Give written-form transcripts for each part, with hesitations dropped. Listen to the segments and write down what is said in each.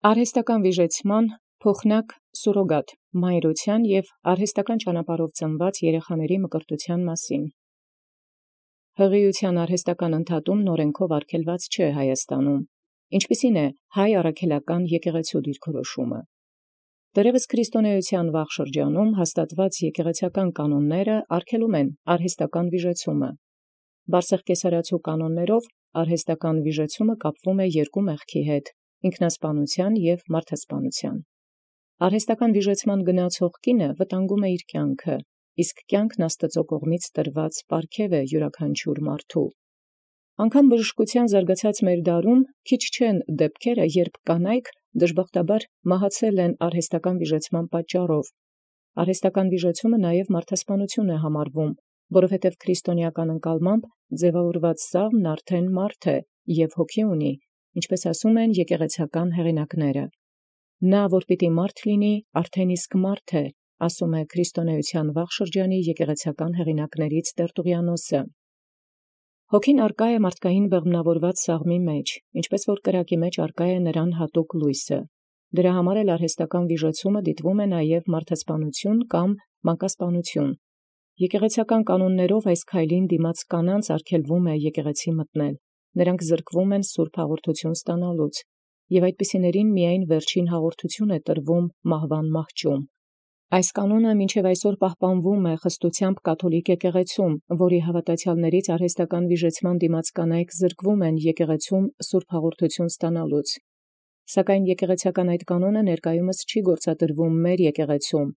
Արհեստական վիժեցման փոխնակ սուրոգատ մայրության և արհեստական ճանապարհով ծնված երեխաների մկրտության մասին։ Հղիության արհեստական ընդհատումն օրենքով արգելված չէ Հայաստանում։ Ինչպիսին է հայ առաքելական եկեղեցու դիրքորոշումը։ Դեռևս քրիստոնեության վաղ շրջանում հաստատված եկեղեցական կանոնները արգելում են արհեստական վիժեցումը։ Բարսեղ կեսարացու կանոններով արհեստական վիժեցումը կապվում է երկու մեղքի հետ՝ ինքնասպանության և մարդասպանության։ Արհեստական վիժեցման գնացող կինը վտանգում է իր կյանքը, իսկ կյանքն Աստծո կողմից տրված պարգև է յուրաքանչյուր մարդու։ Անգամ բժշկության զարգացած մեր դարում քիչ չեն դեպքերը, երբ կանայք դժբախտաբար մահացել են արհեստական վիժեցման պատճառով։ Արհեստական վիժեցումը նաև մարդասպանություն է համարվում, որովհետև քրիստոնեական ընկալմամբ ձևավորված սաղմն արդեն մարդ է և հոգի ունի, ինչպես ասում են եկեղեցական հեղինակները։ Նա, որ պիտի մարդ լինի, արդեն իսկ մարդ է, ասում է քրիստոնեության վաղ շրջանի եկեղեցական հեղինակներից Տերտուղիանոսը։ Հոգին արկա է մարդկային բեղմնավորված սաղմի մեջ, ինչպես որ կրակի մեջ արկա է նրան հատուկ լույսը։ Դրա համար էլ արհեստական վիժեցումը դիտվում է նաև մարդասպանություն կամ մանկասպանություն։ Եկեղեցական կանոններով այս քայլին դիմաց կանանց արգելվում է եկեղեցի մտնել։ Նրանք զրկվում են սուրբ հաղորդություն ստանալուց, և այդպիսիներին միայն վերջին հաղորդություն է տրվում մահվան մահճում։ Այս կանոնը մինչև այսօր պահպանվում է խստությամբ կաթոլիկ եկեղեցում, որի հավատացյալներից արհեստական վիժեցման դիմաց կանայք զրկվում են եկեղեցում սուրբ հաղորդություն ստանալուց։ Սակայն եկեղեցական այդ կանոնը ներկայումս չի գործադրվում մեր եկեղեցում,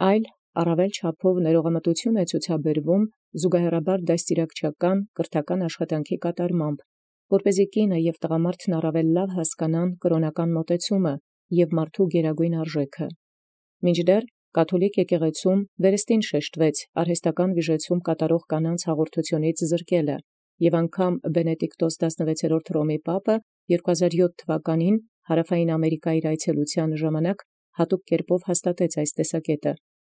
այլ առավել չափով ներողամտություն է ցուցաբերվում զուգահեռաբար դաստիարակչական կրթական աշխատանքի կատարմամբ, որպեսզի կինը և տղամարդն առավել լավ հասկանան կրոնական մոտեցումը և մարդու գերագույն արժեքը։ Մինչդեռ կաթոլիկ եկեղեցում վերստին շեշտվեց արհեստական վիժեցում կատարող կանանց հաղորդությունից զրկելը, և անգամ Բենեդիկտոս 16-րդ Հռոմի պապը 2007 թվականին Հարավային Ամերիկայի այցելության ժամանակ հատուկ կերպով հաստատեց այս տեսակետը,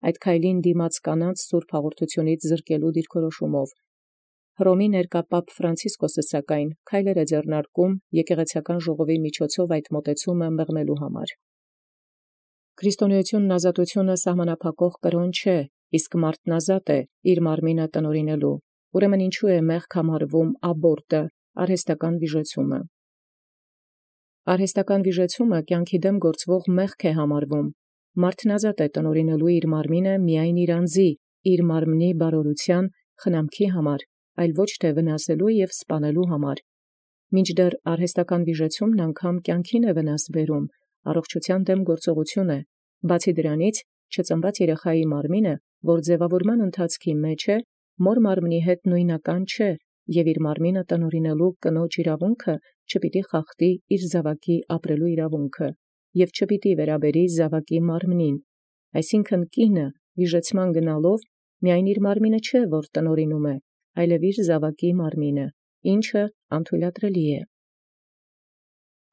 այդ քայլին դիմաց կանանց սուրբ հաղորդությունից զրկելու դիրքորոշումով։ Հռոմի ներկա պապ Ֆրանցիսկոսը սակայն քայլեր է ձեռնարկում եկեղեցական ժողովի միջոցով այդ մոտեցումը մեղմելու համար։ Քրիստոնեությունն ազատությունը սահմանափակող կրոն չէ, իսկ մարդն ազատ է իր մարմինը տնօրինելու։ Ուրեմն ինչու է մեղք համարվում աբորտը, արհեստական վիժեցումը։ Արհեստական վիժեցումը կյանքի դեմ գործվող մեղք է համարվում։ Մարդն ազատ է տնօրինելու իր մարմինը միայն իր անձի, իր մարմնի բարօրության, խնամքի համար, այլ ոչ թե վնասելու և սպանելու համար։ Մինչդեռ արհեստական վիժեցումն անգամ կյանքին է վնաս բերում, առողջության դեմ գործողություն է։ Բացի դրանից, չծնված երեխայի մարմինը, որ ձևավորման ընթացքի մեջ է, մոր մարմնի հետ նույնական չէ, և իր մարմինը տնօրինելու կնոջ իրավունքը չպիտի խախտի իր զավակի ապրելու իրավունքը, և չպիտի վերաբերի զավակի մարմնին։ Այսինքն կինը վիժեցման գնալով միայն իր մարմինը չէ, որ տնօրինում է, այլև իր զավակի մարմինը, ինչը անթույլատրելի է։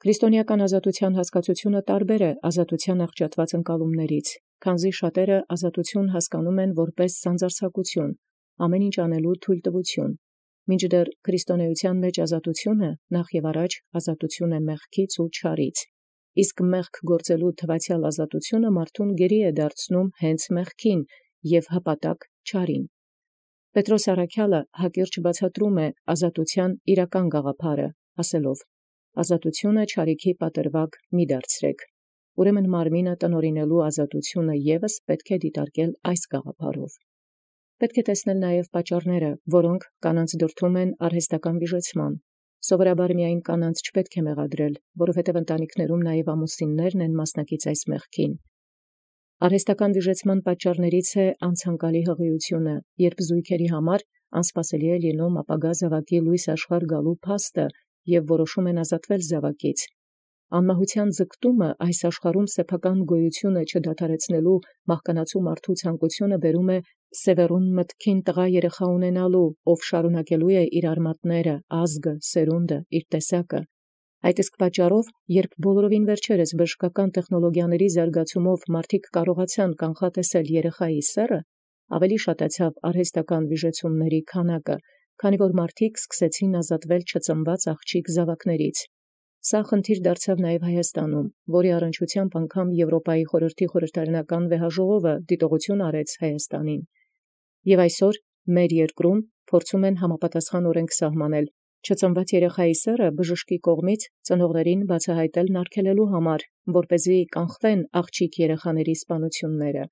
Քրիստոնեական ազատության հասկացությունը տարբեր է ազատության աղճատված ընկալումներից, քանզի շատերը ազատություն հասկանում են որպես սանձարձակություն, ամեն ինչ անելու թույլտվություն, մինչդեռ քրիստոնեության մեջ ազատությունը նախ և առաջ ազատություն է մեղքից ու չարից, իսկ մեղք գործելու թվացյալ ազատությունը մարդուն գերի է դարձնում հենց մեղքին և հպատակ չարին։ Պետրոս առաքյալը հակիրճ բացատրում է ազատության իրական գաղափարը, ասելով. «Ազատությունը չարիքի պատրվակ մի դարձրեք»։ Ուրեմն մարմինը տնօրինելու ազատությունը ևս պետք է դիտարկել այս գաղափարով։ Պետք է տեսնել նաև պատճառները, որոնք կանանց դրդում են արհեստական վիժեցման։ Սովորաբար միայն կանանց չպետք է մեղադրել, որովհետև ընտանիքներում նաև ամուսիններն են մասնակից այս մեղքին։ Արհեստական վիժեցման պատճառներից է անցանկալի հղիությունը, երբ զույգերի համար անսպասելի է լինում ապագա զավակի լույս աշխարհ գալու փաստը և որոշում են ազատվել զավակից։ Անմահության ձգտումը այս աշխարհում սեփական գոյությունը չդադարեցնելու մահկանացու մարդու ցանկությունը բերում է սևեռուն մտքին տղա երեխա ունենալու, ով շարունակելու է իր արմատները, ազգը, սերունդը, իր տեսակը։ Այդ իսկ պատճառով, երբ բոլորովին վերջերս բժշկական տեխնոլոգիաների զարգացումով մարդիկ կարողացան կանխատեսել երեխայի սեռը, ավելի շատացավ արհեստական վիժեցումների քանակը, քանի որ մարդիկ սկսեցին ազատվել չծնված աղջիկ զավակներից։ Սա խնդիր դարձավ նաև Հայաստանում, որի առնչությամբ անգամ Եվրոպայի խորհրդի խորհրդարանական վեհաժողովը դիտողություն արեց Հայաստանին։ Եւ այսօր մեր երկրում փորձում են համապատասխան օրենք սահմանել չծնված երեխայի սեռը բժշկի կողմից ծնողներին բացահայտելն արգելելու համար, որպեսզի կանխվեն աղջիկ երեխաների սպանությունները։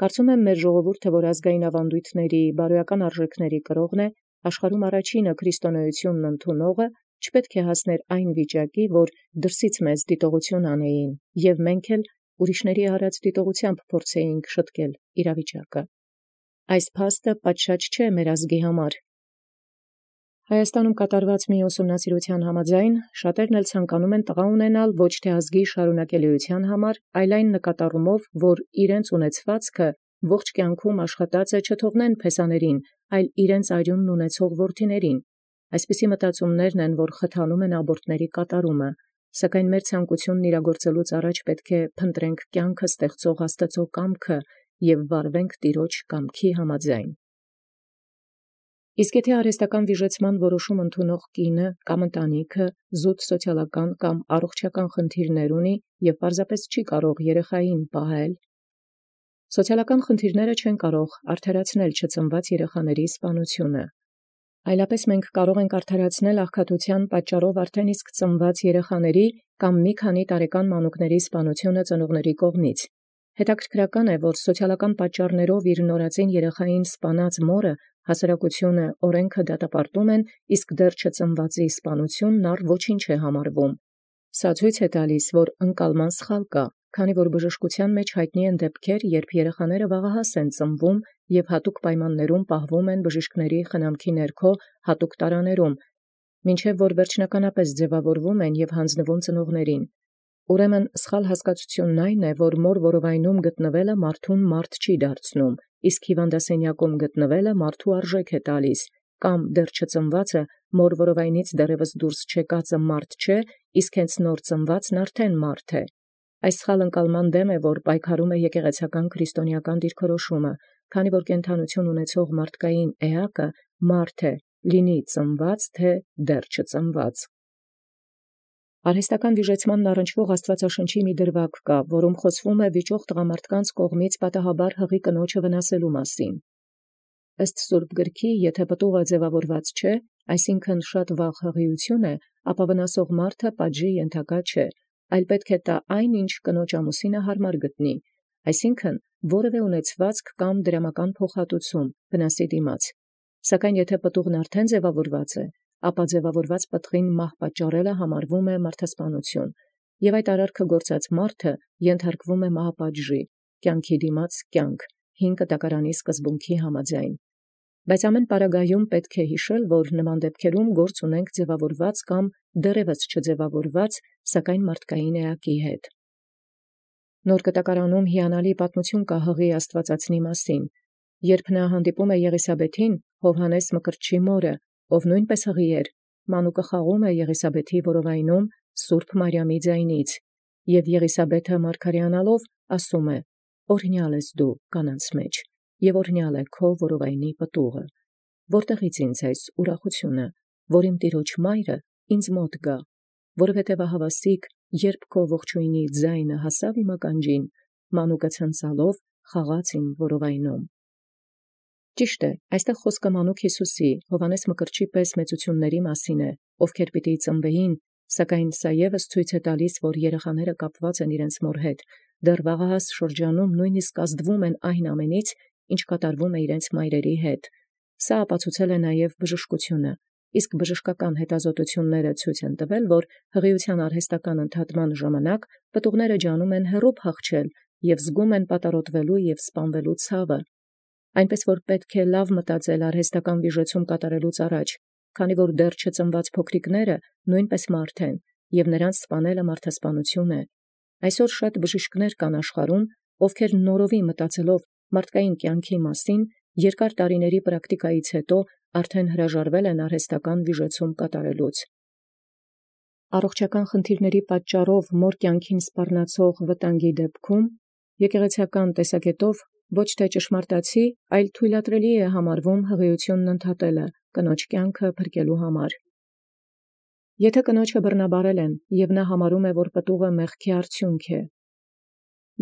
Կարծում եմ մեր ժողովուրդը, որ ազգային ավանդույթների, բարոյական արժեքների կրողն է, աշխարհում առաջինը քրիստոնեությունն ընդունողը, չպետք է հասներ այն վիճակի, որ դրսից մեզ դիտողություն անեին, եւ մենք էլ ուրիշների արած դիտողությամբ փորձեինք շտկել իրավիճակը։ Այս փաստը պատշաճ չէ մեր ազգի համար։ Հայաստանում կատարված մի ուսումնասիրության համաձայն շատերն էլ ցանկանում են տղա ունենալ ոչ թե ազգի շարունակելիության համար, այլ այն նկատառումով, որ իրենց ունեցվածքը ողջ կյանքում աշխատած է չթողնեն փեսաներին, այլ իրենց արյունն ունեցող որդիներին։ Այսպիսի մտածումներն են, որ խթանում են աբորտների կատարումը, սակայն մեր ցանկությունն իրագործելուց առաջ պետք է փնտրենք կյանքը ստեղծող Աստծո կամքը եւ վարվենք Տիրոջ կամքի համաձայն։ Իսկ եթե արհեստական վիժեցման որոշում ընդունող կինը կամ ընտանիքը զուտ սոցիալական կամ առողջական խնդիրներ ունի եւ պարզապես չի կարող երեխային պահել, սոցիալական խնդիրները չեն կարող արդարացնել չծնված երեխաների սպանությունը։ Այլապես մենք կարող ենք արդարացնել աղքատության պատճառով արդեն իսկ ծնված երեխաների կամ մի քանի տարեկան մանուկների սպանությունը ծնողների կողմից։ Հետաքրքրական է, որ սոցիալական պատճառներով իր նորածին երեխային սպանած մորը հասարակությունը օրենքը դատապարտում են, իսկ դեռ չծնվածի սպանությունն առ ոչինչ է համարվում։ Սա ցույց է տալիս, որ ընկալման սխալ կա, քանի որ բժշկության մեջ հայտնի են դեպքեր, երբ երեխաները վաղահաս են ծնվում եւ հատուկ պայմաններում պահվում են բժիշկների խնամքի ներքո հատուկ տարաներում, մինչև որ վերջնականապես ձևավորվում են եւ հանձնվում ծնողներին։ Ուրեմն սխալ հասկացությունն այն է, որ մոր որովայնում գտնվելը մարդուն մարդ չի դարձնում, իսկ հիվանդասենյակում գտնվելը մարդու արժեք է տալիս, կամ դեռ չծնվածը մոր որովայնից դեռևս դուրս չեկածը մարդ չէ, իսկ հենց նոր ծնվածն արդեն մարդ է։ Այս սխալ ընկալման դեմ է, որ պայքարում է եկեղեցական քրիստոնեական դիրքորոշումը, քանի որ կենթանություն ունեցող մարդկային էակը մարդ է, լինի ծնված թե դեռ չծնված։ Արհեստական վիժեցմանն առնչվող Աստվածաշնչի մի դրվագ կա, որում խոսվում է վիճող տղամարդկանց կողմից պատահաբար հղի կնոջը վնասելու մասին։ Ըստ Սուրբ գրքի, եթե պտուղը ձևավորված չէ, այսինքն շատ վաղ հղիություն է, ապա վնասող մարդը պատժի ենթակա չէ, այլ պետք է տա այն, ինչ կնոջ ամուսինը հարմար գտնի, այսինքն որևէ ունեցվածք կամ դրամական փոխհատուցում վնասի դիմաց։ Սակայն եթե պտուղն արդեն ձևավորված է, ապա ձևավորված պտղին մահ պատճառելը համարվում է մարդասպանություն, եւ այդ արարքը գործած մարդը ենթարկվում է մահապատժի, կյանքի դիմաց կյանք, 5 կտակարանի սկզբունքի համաձայն։ Բայց ամեն պարագայում պետք է հիշել, որ նման դեպքերում գործ ունենք ձևավորված կամ դեռևս չձևավորված, սակայն մարդկային էակի հետ։ Նոր կտակարանում հիանալի պատմություն կա հղի աստվածածնի մասին, երբ նա հանդիպում է Եղիսաբեթին, Հովհաննես Մկրտչի մորը, ով նույնպես հղի էր, մանուկը խաղում է Եղիսաբեթի որովայնում Սուրբ Մարիամի ձայնից, եւ Եղիսաբեթը մարգարեանալով ասում է. «Օրհնյալ ես դու կանանց մեջ, եւ օրհնյալ է քո որովայնի պտուղը, որտեղից ինձ այս ուրախությունը, որ իմ Տիրոջ մայրը ինձ մոտ գա, որովհետև ահավասիկ, երբ քո ողջույնի ձայնը հասավ իմ ականջին, մանուկը ցնցալով խաղաց իմ որովայնում»։ Ճիշտ է, այստեղ խոսքը մանուկ Հիսուսի, Հովհաննես Մկրտչի պես մեծությունների մասին է, ովքեր պիտի ծնվեին, սակայն սա ևս ցույց է տալիս, որ երեխաները կապված են իրենց մոր հետ, դեռ վաղահաս շրջանում նույնիսկ ազդվում են այն ամենից, ինչ կատարվում է իրենց մայրերի հետ։ Սա ապացուցել է նաև բժշկությունը, իսկ բժշկական հետազոտությունները ցույց են տվել, որ հղիության արհեստական ընդհատման ժամանակ պտուղները ջանում են հեռու փախչել եւ զգում են պատառոտվելու եւ սպանվելու ցավը։ Այնպես որ պետք է լավ մտածել արհեստական վիժեցում կատարելուց առաջ, քանի որ դեռ չծնված փոքրիկները նույնպես մարդ են, եւ նրանց սպանելը մարդասպանություն է։ Այսօր շատ բժիշկներ կան աշխարհում, ովքեր նորովի մտածելով մարդկային կյանքի մասին, երկար տարիների պրակտիկայից հետո արդեն հրաժարվել են արհեստական վիժեցում կատարելուց։ Առողջական խնդիրների պատճառով մոր կյանքին սպառնացող վտանգի դեպքում եկեղեցական տեսակետով ոչ թե ճշմարտացի, այլ թույլատրելի է համարվում հղիությունն ընդհատելը կնոջ կյանքը փրկելու համար։ Եթե կնոջը բռնաբարել են, և նա համարում է, որ պտուղը մեղքի արդյունք է,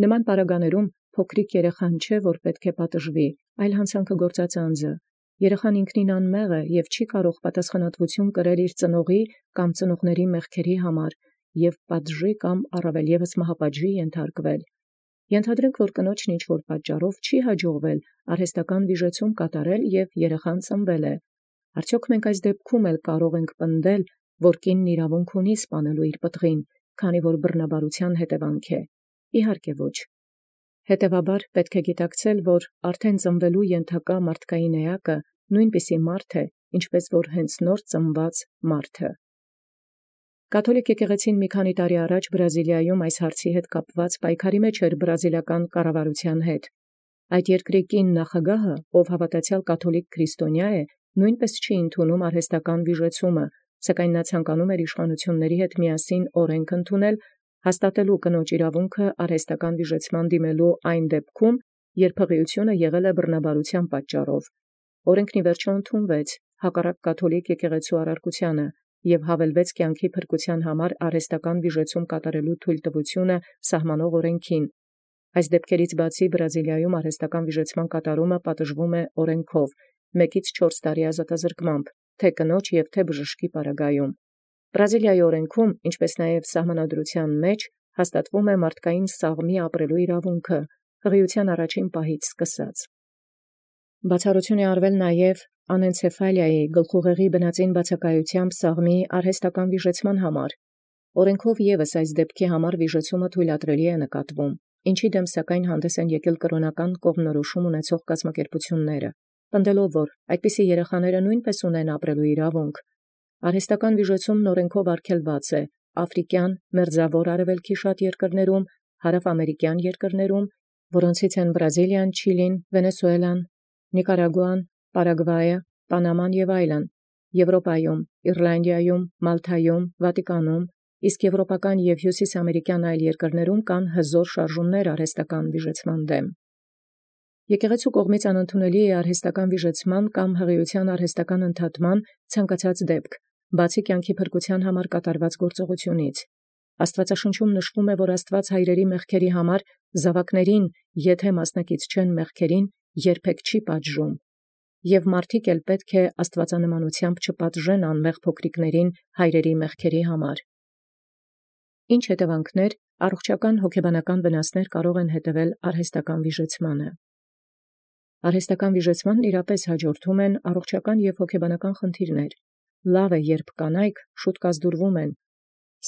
նման պարագաներում փոքրիկ երեխան չէ, որ պետք է պատժվի, այլ հանցանքը գործած անձը։ Երեխան ինքնին անմեղ է և չի կարող պատասխանատվություն կրել իր ծնողի կամ ծնողների մեղքերի համար և պատժի կամ առավել ևս մահապատժի ենթարկվել։ Ենթադրենք, որ կնոջն ինչ-որ պատճառով չի հաջողվել արհեստական վիժեցում կատարել և երեխան ծնվել է։ Արդյոք մենք այս դեպքում էլ կարող ենք պնդել, որ կինն իրավունք ունի սպանելու իր պտղին, քանի որ բռնաբարության հետևանք է։ Իհարկե ոչ։ Հետևաբար պետք է գիտակցել, որ արդեն ծնվելու ենթակա մարդկային էակը նույնպիսի մարդ է, ինչպես որ հենց նոր ծնված մարդը։ Կաթոլիկ եկեղեցին մի քանի տարի առաջ Բրազիլիայում այս հարցի հետ կապված պայքարի մեջ էր բրազիլական կառավարության հետ։ Այդ երկրի կին նախագահը, ով հավատացյալ կաթոլիկ քրիստոնյա է, նույնպես չի ընդունում արհեստական վիժեցումը, սակայն նա ցանկանում էր իշխանությունների հետ միասին օրենք ընդունել, հաստատելու կնոջ իրավունքը արհեստական վիժեցման դիմելու այն դեպքում, երբ հղիությունը եղել է բռնաբարության պատճառով։ Օրենքն ի վերջո ընդունվեց, հակառակ կաթոլիկ եկեղեցու առարկությանը, և հավելվեց կյանքի փրկության համար արհեստական վիժեցում կատարելու թույլտվությունը սահմանող օրենքին։ Այս դեպքերից բացի Բրազիլիայում արհեստական վիժեցման կատարումը պատժվում է օրենքով 1-4 տարի ազատազրկմամբ, թե կնոջ և թե բժշկի պարագայում։ Բրազիլիայի օրենքում, ինչպես նաև սահմանադրության մեջ, հաստատվում է մարդկային սաղմի ապրելու իրավունքը, հղիության առաջին պահից սկսած։ Բացառություն է արվել նաև անենցեֆալիայի գլխուղեղի բնածին բացակայությամբ սաղմի արհեստական վիժեցման համար։ Օրենքով ևս այս դեպքի համար վիժեցումը թույլատրելի է նկատվում, ինչի դեմ սակայն հանդես են եկել կրոնական կողմնորոշում ունեցող կազմակերպությունները, պնդելով, որ այդպիսի երեխաները նույնպես ունեն ապրելու իրավունք։ Արհեստական վիժեցումն օրենքով արգելված է աֆրիկյան, մերձավոր արևելքի շատ երկրներում, հարավամերիկյան երկրներում, որոնցից են Բրազիլիան, Չիլին, Վենեսուելան, Նիկարագուան, Պարագվայը, Պանաման և այլն, Եվրոպայում, Իռլանդիայում, Մալթայում, Վատիկանում, իսկ եվրոպական և հյուսիսամերիկյան այլ երկրներում կան հզոր շարժումներ արհեստական վիժեցման դեմ։ Եկեղեցու կողմից անընդունելի է արհեստական վիժեցման կամ հղիության արհեստական ընդհատման ցանկացած դեպք, բացի կյանքի փրկության համար կատարված գործողությունից։ Աստվածաշնչում նշվում է, որ Աստված հայրերի մեղքերի համար զավակներին, եթե մասնակից չեն մեղքերին, երբեք չի պատժում, և մարդիկ էլ պետք է աստվածանմանությամբ չպատժեն անմեղ փոքրիկներին հայրերի մեղքերի համար։ Ինչ հետևանքներ, առողջական հոգեբանական վնասներ կարող են հետևել արհեստական վիժեցմանը։ Արհեստական վիժեցմանն իրապես հաջորդում են առողջական և հոգեբանական խնդիրներ։ Լավ է, երբ կանայք շուտ կազդուրվում են,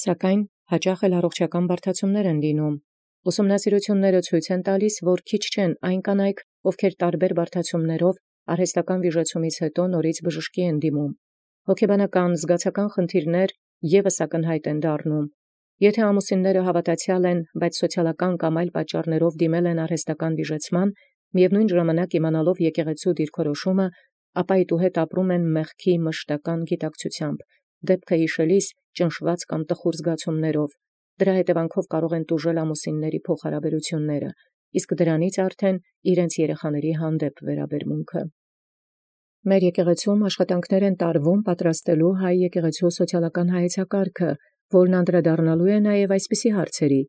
սակայն հաճախ էլ առողջական բարդացումներ են լինում։ Ուսումնասիրությունները ցույց են տալիս, որ քիչ չեն այն կանայք, ովքեր տարբեր բարդացումներով արհեստական վիժեցումից հետո նորից բժշկի են դիմում։ Հոգեբանական, զգացական խնդիրներ ևս ակնհայտ են դառնում։ Եթե ամուսինները հավատացյալ են, բայց սոցիալական կամ այլ պատճառներով դիմել են արհեստական վիժեցման, միևնույն ժամանակ իմանալով եկեղեցու դիրքորոշումը, ապա իտուհետ ապրում են մեղքի մշտական գիտակցությամբ, դեպքը հիշելիս ճնշված կամ տխուր զգացումներով։ Դրա հետևանքով կարող են տուժել ամուսինների փոխհարաբերությունները, իսկ դրանից արդեն իրենց երեխաների հանդեպ վերաբերմունքը։ Մեր եկեղեցում աշխատանքներ են տարվում պատրաստելու հայ եկեղեցու սոցիալական հայեցակարգը, որն անդրադառնալու է նաև այսպիսի հարցերի։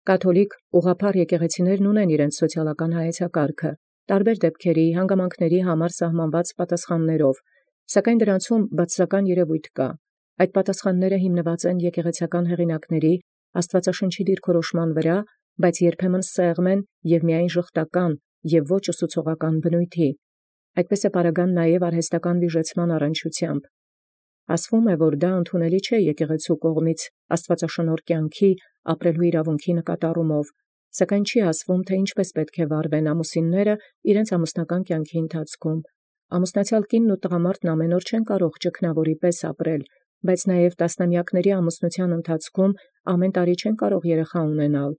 Կաթոլիկ ուղղափառ եկեղեցիներն ունեն իրենց սոցիալական հայեցակարգը, տարբեր դեպքերի, հանգամանքների համար սահմանված պատասխաններով, սակայն դրանցում բացասական երևույթ կա։ Այդ պատասխանները հիմնված են եկեղեցական հեղինակների Աստվածաշնչի դիրքորոշման վրա, բայց երբեմն սեղմ են և միայն ժխտական և ոչ ուսուցողական բնույթի։ Այդպես է պարագան նաև արհեստական վիժեցման առնչությամբ։ Ասվում է, որ դա ընդունելի չէ եկեղեցու կողմից աստվածաշնորհ կյանքի ապրելու իրավունքի նկատառումով, սակայն չի ասվում, թե ինչպես պետք է վարվեն ամուսինները իրենց ամուսնական կյանքի ընթացքում։ Ամուսնացյալ կինն ու տղամարդն ամեն օր չեն կարող ճգնավորի պես ապրել, բայց նաև տասնամյակների ամուսնության ընթացքում ամեն տարի չեն կարող երեխա ունենալ։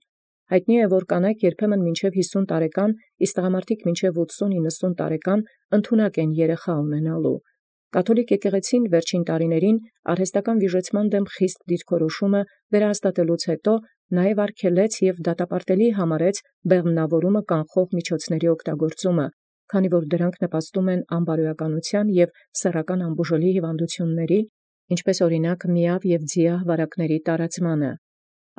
Հայտնի է, որ կանայք երբեմն մինչև 50 տարեկան, իսկ տղամարդիկ մինչև 80-90 տարեկան ընդունակ են երեխա ունենալու։ Կաթոլիկ եկեղեցին վերջին տարիներին արհեստական վիժեցման դեմ խիստ դիրքորոշումը վերահաստատելուց հետո նաև արգելեց և դատապարտելի համարեց բեղմնավորումը կանխող միջոցների օգտագործումը, քանի որ դրանք նպաստում են անբարոյականության և սեռական անբուժելի հիվանդությունների, ինչպես օրինակ միավ եւ ձիահ վարակների տարածմանը։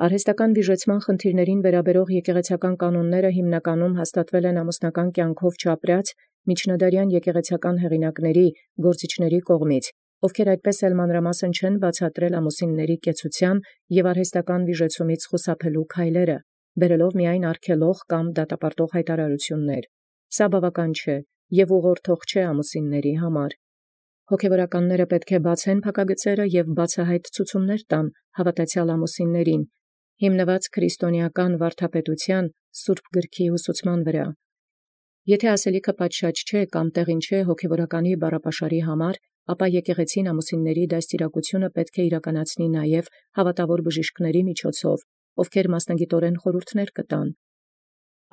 Արհեստական վիժեցման խնդիրներին վերաբերող եկեղեցական կանոնները հիմնականում հաստատվել են ամուսնական կյանքով չապրած միջնադարյան եկեղեցական հեղինակների գործիչների կողմից, ովքեր այդպես էլ մանրամասն չեն բացատրել ամուսինների կեցության եւ արհեստական վիժեցումից խուսափելու քայլերը, բերելով միայն արգելող կամ դատապարտող հայտարարություններ։ Սա բավական չէ եւ ուղղորդող չէ ամուսինների համար։ Հոգևորականները պետք է բացեն փակագծերը եւ բացահայտ ցուցումներ տան հավատացյալ ամուսիններին, հիմնված քրիստոնեական վարդապետության Սուրբ Գրքի ուսուցման վրա։ Եթե ասելիքը պատշաճ չէ կամ տեղին չէ հոգևորականի բառապաշարի համար, ապա եկեղեցին ամուսինների դաստիարակությունը պետք է իրականացնի նաև հավատավոր բժիշկների միջոցով, ովքեր մասնագիտորեն խորհուրդներ կտան։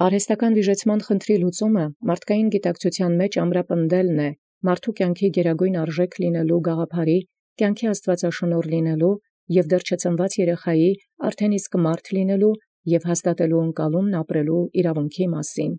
Արհեստական վիժեցման խնդրի լուծումը մարդկային գիտակցության մեջ ամրապնդելն է, մարդու կյանքի գերագույն արժեք լինելու գաղափարի, կյանքի աստվածաշնորհ լինելու եւ դեռ չծնված երեխայի արդեն իսկ մարդ լինելու եւ հաստատելու ընկալումն ապրելու իրավունքի մասին։